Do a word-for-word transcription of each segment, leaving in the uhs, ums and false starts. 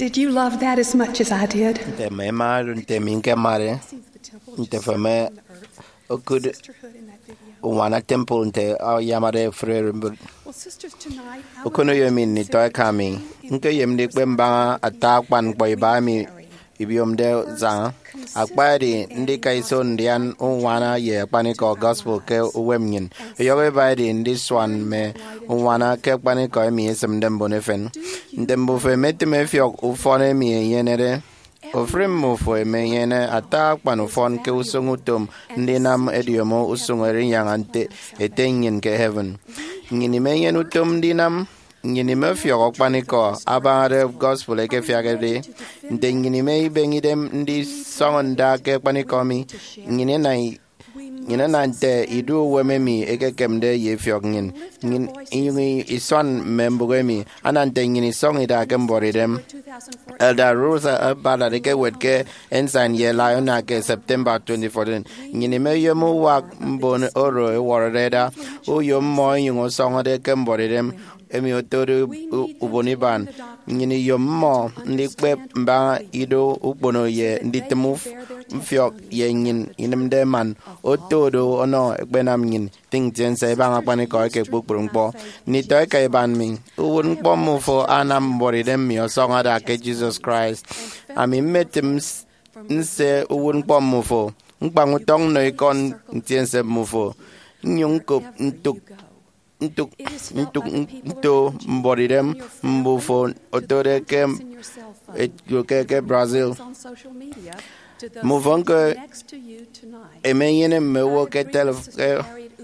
Did you love that as much as I did? Nte mme ema nte mi nkemade nte feme okud unwana temple nte ayamade efuri erembot. Okoneyo emi nditọ eka mi, nkeyem ndikpep mbaña ata akpan ñkpọ iba emi ibiomde saña. Akpa edi ndika iso ndian unwana ye akpanikọ gospel ke uwem nnyin. Ọyọhọ iba edi ndisuan mme unwana ke akpanikọ emi esimde mbon efen. Nte mbufo emetịm efiọk ufọn emi enyenede, ofụri mmufo emenyene ata akpan ufọn ke usụñ utom ndinam ediomo usụñ erinyaña nte Ete nnyin ke heaven. Nnyin imenyene utom ndinam, nnyin imefiọk akpanikọ abañade gospel ekefiakde. Nte nnyin imeibeñe idem ndisọñọ nda ke akpanikọ mi, nnyin ina nnyin ana nte idu uwem emi ekekemde ye ifiọk nnyin, nnyin inyụñ isuan mme mbụk emi ana nte nnyin isọñọ ida ke mbuọtidem. Elder Ruth Ballard ekewet ke Ensign ye Laiona ke September twenty fourteen. Nnyin imeyom uwak mbon oro ẹwọrọde ẹda, uyom mmọ ẹnyụñ ọsọñọde ke mbuọtidem emi otode u- ubon iban. Nnyin iyom mmọ ndikpep mbaña ido ukpono ye nditịm uf- mfiọk ye nnyin inịmde man oto do ọnọ ẹkpenam nnyin tịñ ntiense ibaña akpanikọ eke kpukpru ñkpọ. Nditọ eka iban mi, uwụtñkpọ mmufo anam mbuọtidem mi ọsọñọ ada ke Jesus Christ. Ami mmetịm s- nse uwụtñkpọ mmufo, ñkpañ utọñ nnọ ikọ ntiense mmufo, nnyụñ ñkop ntụk ntụk ntụk nto mbuọtidem mbufo otode ke ke, ke Brazil. Mbufo ñko emenyene mme owo ke telef- ke,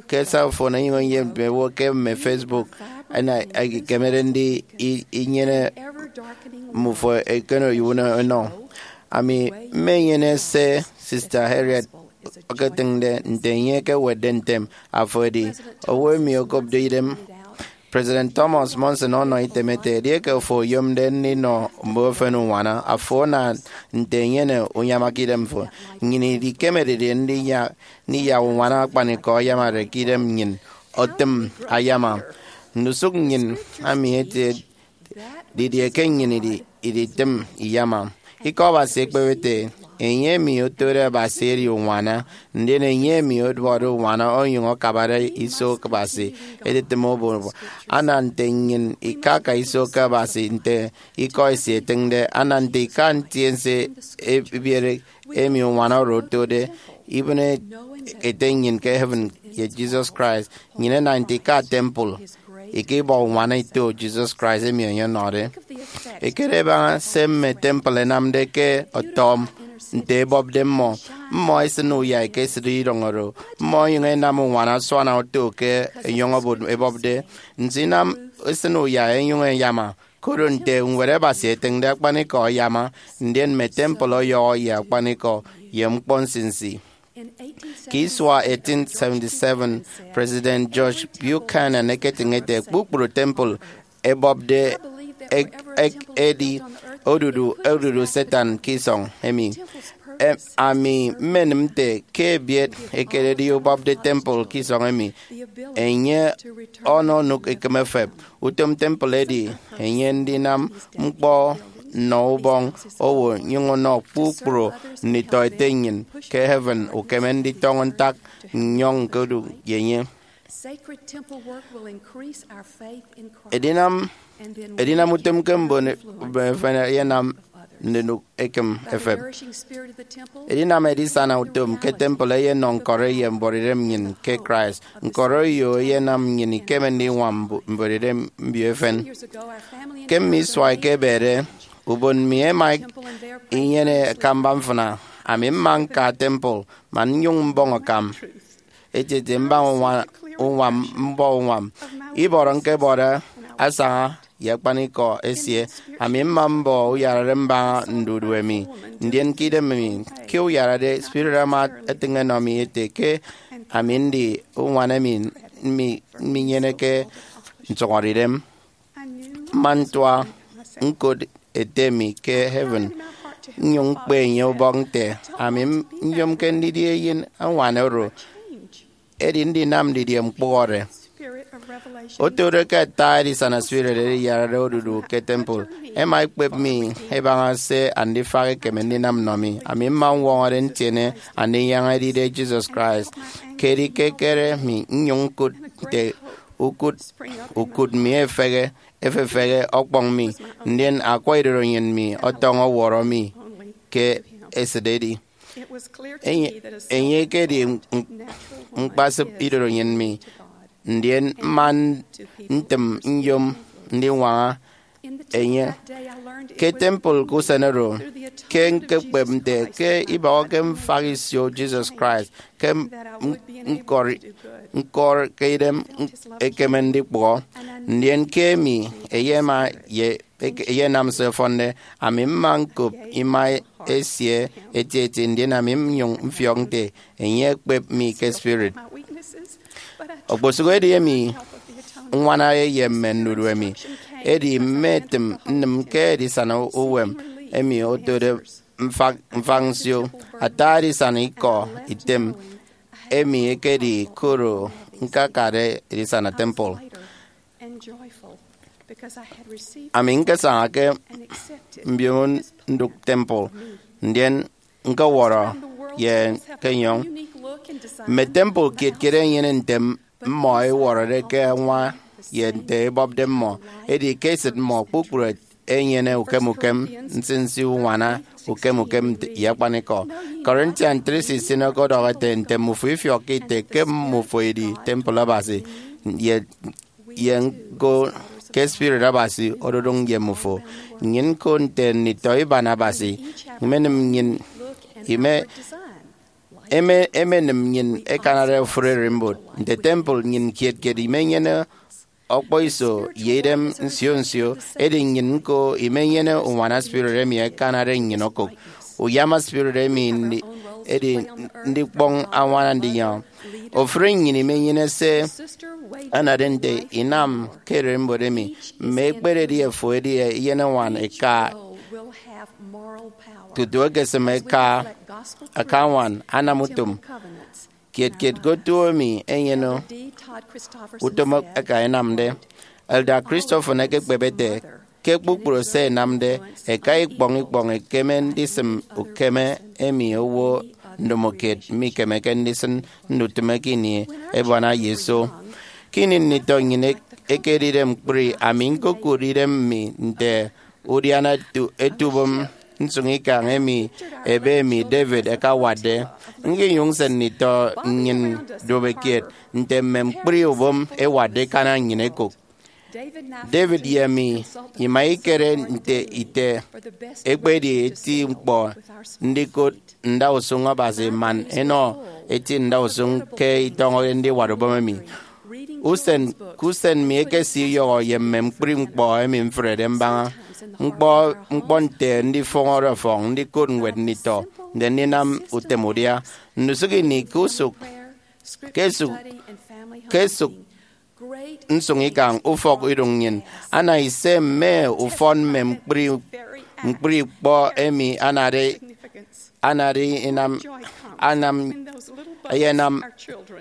ke cell phone, enyụñ enyene mme owo ke mme Facebook, ana ekemede ndi i- inyene mmufo eken oyuwụn enọ. Ami mmenyene se Sister Harriet eketịñde nte enye ekewetde ntem, afo edi owo emi okopde idem. President Thomas Monson ọnọ item ete, edieke afo oyomde ndinọ mbofen unwana, afo ana nte enyene unyama ke idemfo. Nnyin idikemedide ndiya- ndiyak unwana akpanikọ ayamade ke idem nnyin otịm ayama. Ndusụk nnyin ami ete, didie ke nnyin idi- iditịm iyama? Ikọ Abasi ekpep ete, enye emi otode Abasi edi unwana, ndien enye emi ọduọkde unwana onyụñ akabade iso Abasi editịm obo. Ana nte nnyin ikaka iso ke Abasi nte ikọ esie etịñde, ana nte ika ntiense ebiere emi unwana oro otode, ibịne Ete nnyin ke heaven ye Jesus Christ, nnyin ena nte ika temple, ika ibọ unwana ito Jesus Christ emi enye ọnọde. Ekere ebaña se mme temple ẹnamde ke ọtọm nte ebọpde mmọ. Mmọ ẹsịn uyai ke esịt idọñ oro, mmọ ẹnyụñ ẹnam unwana asuana oto ke enyọñ ebọpde. Nso inam ẹsịn uyai ẹnyụñ ẹyama, koro nte Ñwed Abasi etịñde, akpanikọ ayama, ndien mme temple ọyọhọ ye akpanikọ ye ñkpọ nsinsi. Ke isua eighteen seventy-seven, President George Buchanan eketịñ ete, kpukpru temple ẹbọpde ek- ek- edi odudu odudu Satan ke isọñ emi. Em, ami mmenịm nte ke ebiet ekededi ubọpde temple ke isọñ emi, enye ọnọ onụk ekịm efep. Utom temple edi enye ndinam ñkpọ nnọ ubọñ owo nyụñ ọnọ kpukpru nditọ Ete nnyin ke heaven ukeme nditọñọ ntak nnyọñ ñkodu ye enye. Edinam edinam utom ke mbon efen eyenam ndinụk ekịm efep. Edinam edisana utom ke temple eyenọ ñkọrọ ye mbuọtidem nnyịn ke Christ. Ñkọrọ eyo eyenam nnyịn ikeme ndiñwam mbu- mbuọtidem mbio efen. Ke mme isua ẹkebede, ubon mi ẹma inyene akamba mfịna. Ami mma ñka temple man nnyụñ mbọñ akam etieti mbaña unwa- unwam mbọ unwam. Ibọrọ ñkebọde asaña ye akpanikọ esie. Ami mma mbọ uyarade mbaña ndudu emi. Ndien ke idem emi ke uyarade, Spirit ama etịñ enọ mi ete ke ami ndi unwana emi mi- minyeneke nsụhọdeidem. Mma ntua ñkot Ete mi ke heaven, nnyụñ ñkpe enye ubọk nte, ami m- nyomke ndidi eyen añwan oro, edi ndinam didie ñkpụhọde? Otode ke ata edisana spirit ediyarade odudu ke temple, ẹma ẹkpep mi ẹbaña se andifak ekeme ndinam nnọ mi. Ami mma ñwọñọde ntiene Andinyaña edide Jesus Christ. Ke edi ke ẹkere mi nnyụñ ñkụt nte ukụt ukụt mi efehe, efefehe ọkpọñ mi, ndien akwa idorenyin mi ọtọñọ ọwọrọ mi ke esịt edi. Enye, enye ekedi m-, m-, ñkpasịp idorenyin mi, ndien mma ntịm nyom ndiñwaña enye ke temple ke usen oro, ke ñkekpep nte ke ibọhọke mfak isio Jesus Christ ke m-, m-, ñkọri-, ñkọri ke idem ekeme ndikpụhọ, ndien ke emi eyema ye eke-, eyenam se ọfọnde. Ami mma ñkop ima esie etieti, ndien ami nnyụñ mfiọk nte enye ekpep mi ke spirit. Okposụkedi emi ññwana ye mme ndudu emi, edi mmetịm nnịm ke edisana uwem emi otode mfak, mfak nsio. Ata edisana ikọ item emi ekedi koro ñkakade edisana temple. Ami ñkesaña ke mbiomo ndụk temple, ndien ñkọwọrọ ye ke enyọñ. Mme temple kiet kiet ẹnyene nte mmọ ẹwọrọde ke añwa ye nte ebọpde mmọ. Edi ke esịt mmọ kpukpru ẹnyene ukem ukem, nsinsi uñwana ukem ukem ye akpanikọ. Corinthians three sixteen ọkọdọhọ ete, nte mmufo ifiọkke ite ke mmufo edi temple Abasi, ye ye ñko ke Spirit Abasi ododụñ ye mmufo. Nnyịn ñko nte nditọ iban Abasi, imenịm nnyịn, ime, eme, emenịm nnyịn ẹkanade ofụri ererimbot. Nte temple nnyịn kiet kiet imenyene ọkpọiso ye idem nsio nsio, edi nnyịn ñko imenyene uñwana Spirit emi ẹkanade nnyịn okụk. Uyama Spirit emi ndi-, edi ndikpọñ añwana Andinyaña. Ofụri nnyịn imenyene se anade nte inam ke ererimbot emi. Mme ekpere edi efo edi eyenañwan eka, tutu ekesịm eka, aka añwan anam utom. Kiet kiet ke otu emi enyene utom eka enamde. Elder Christofferson ekekpep ete, ke kpukpru se ẹnamde, eka ikpọñ ikpọñ ekeme ndisịm ukeme emi owo ndomokiet mikemeke ndisịn ndutịme ke ini ebuana ye iso. Ke ini nditọ nnyịn ek-, ekedide ñkpri, ami ñkokụt idem mi nte udiana etu, etu ubom nsụñikañ emi ebe emi David ẹkawatde. Ñkinyụñ nse nditọ nnyịn duopekiet nte mme ñkpri ubom ẹwatde ẹkana nnyịn ẹkụk. David ye mi ima ikere nte ite ekpedi eti ñkpọ ndikụt ndausụñ Abasi man enọ eti ndausụñ ke itọñọde ndiwat ubom emi. Usen ke usen mi ekesiyọhọ ye mme ñkpri ñkpọ emi mfrede mbaña. Ñkpọ, ñkpọ nte ndifọñọre ọfọñ, ndikot ñwed nditọ, nte ndinam utem udia. Ndusụk ini ke usụk, ke esụk, ke esụk nsụñikañ ufọk iduñ nnyịn, ana ise mme ufọn mme ñkpri, ñkpri ñkpọ emi anade, anade inam, anam, ẹyenam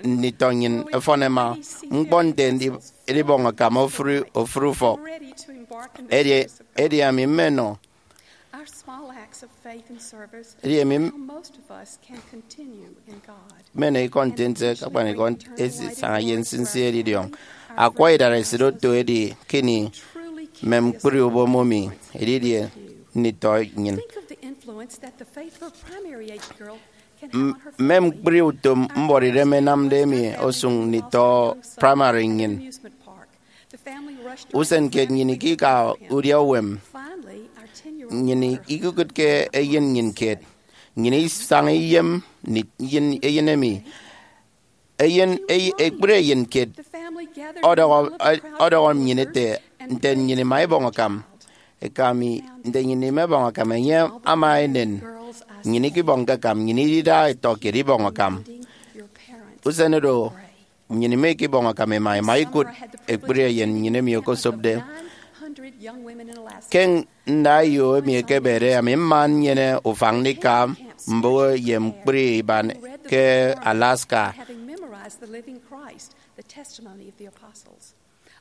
nditọ nnyịn ẹfọn ẹma. Ñkpọ nte ndi-, edibọñ akam ofụri, ofụri ufọk. Edi, edi ami mmenọ, edi ami m-, mmenọ ikọ ntiense ke akpanikọ esisaña ye nsinsi edidiọñ. Akwa idaresit oto edi ke ini mme ñkpri ubom emi edidie nditọ nnyịn. M-, mme ñkpri utom mbuọtidem ẹnamde emi osụñ nditọ praimari nnyịn. Usen kiet nnyịn ikika udia uwem. Nnyịn ikikụtke eyen nnyịn kiet. Nnyịn isaña iyem ni-, eyen, eyen emi. Eyen, ey-, ekpri eyen kiet ọdọhọ, ọdọhọ nnyịn ete, nte nnyịn ima ibọñ akam. Eka mi, nte nnyịn ima ibọñ akam, enye ama enen. Nnyịn ikibọñke akam, nnyịn idida ẹtọ kiet ibọñ akam. Usen oro, nnyịn ima ikibọñ akam ima, ima ikụt ekpri eyen nnyịn emi okosopde. Ke ndaeyo emi ekebede, ami mma nnyene ufan ndika mbụk ye ñkpri iban ke Alaska.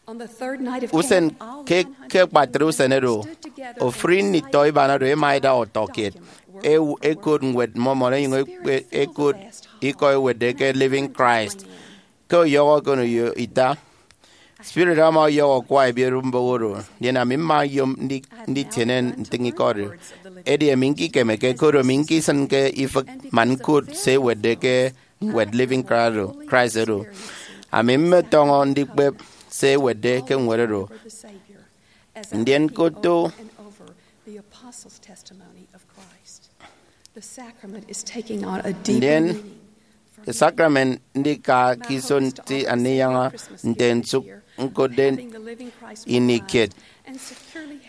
Usen ke, ke akpatre usen oro, ofụri nditọ iban oro ẹma ẹda utọ kiet, ẹkot Ñwed Mormon, ẹnyụñ ẹkot ikọ ẹwetde ke Living Christ. Ke ọyọhọ okoneyo ita, spirit ama ọyọhọ ukwa ebiereubọk oro, ndien ami mma nyom ndi-, nditiene ntịñikọ oro. Edi ami ñkikemeke, koro ami ñkisịnke ifịk man ñkot se ẹwetde ke ñwed Living Christ oro. Christ oro. Ami mmetọñọ ndikpep se ẹwetde ke ñwed oro. Ndien koto. The apostles' testimony of Christ. The sacrament is taking on a deeper Ndien, meaning. Sakramen ndika ke iso nti andiyaña nte nsụk ñkotde ini kiet.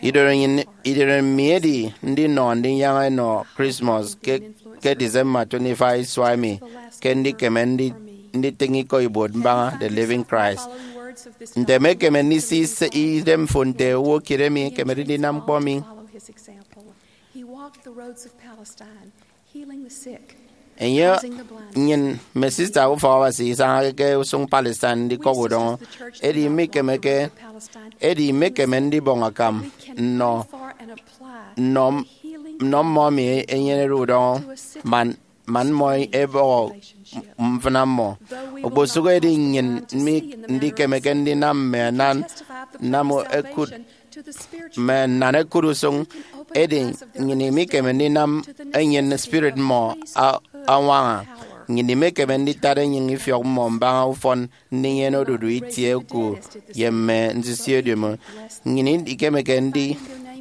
Idoro nnyịn, idoro mi edi ndinọ andiyaña enọ Christmas ke, ke December twenty-five isua emi, ke ndikeme ndi-, nditịñ ikọ ibuot mbaña The Living Christ. Nte emekeme ndisi se idem fo nte owo kiet emi ekemede ndinam ñkpọ mi? He walked the roads of Palestine, healing the sick, enye, housing the blind. Nnyịn mme sista ufọk Abasi isañake ke usụñ Palestine ndikọk udọñọ, edi imekemeke, edi imekeme ndibọñ akam nnọ, nnọ, nnọ mmọ emi enyenede udọñọ, man, man mmọ ebọhọ mfịna mmọ. Okposụkedi nnyịn mi ndikemeke ndinam mme anan, nnam ekut, mme nnan ekut usụñ, edi nnyịn imikeme ndinam enyịn spirit mmọ a-, añwaña. Nnyịn imekeme nditat enyịñ ifiọk mmọ mbaña ufọn ndinyene odudu itie oku ye mme nsinsi ediomi. Nnyịn ikemeke ndi-,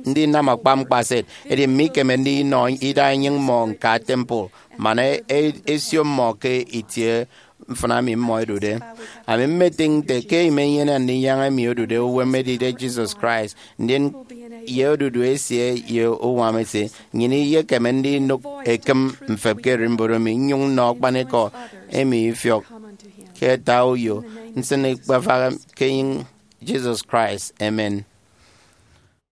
ndinam akpa mkpaset, edi mmikeme ndinọ ida enyịñ mmọ ñka temple, man e-, e-, esio mmọ ke itie mfịna emi mmọ ẹdude. Ami mmetịñ nte ke imenyene andiyaña emi odude uwem edide Jesus Christ, ndien ye odudu esie ye uñwam esie, nnyịn iyekeme ndinụk ekịm mfep ke ererimbot emi, nnyụñ nnọ akpanikọ emi ifiọk ke ata uyo nsịn ikpafaha ke enyịñ Jesus Christ. Amen.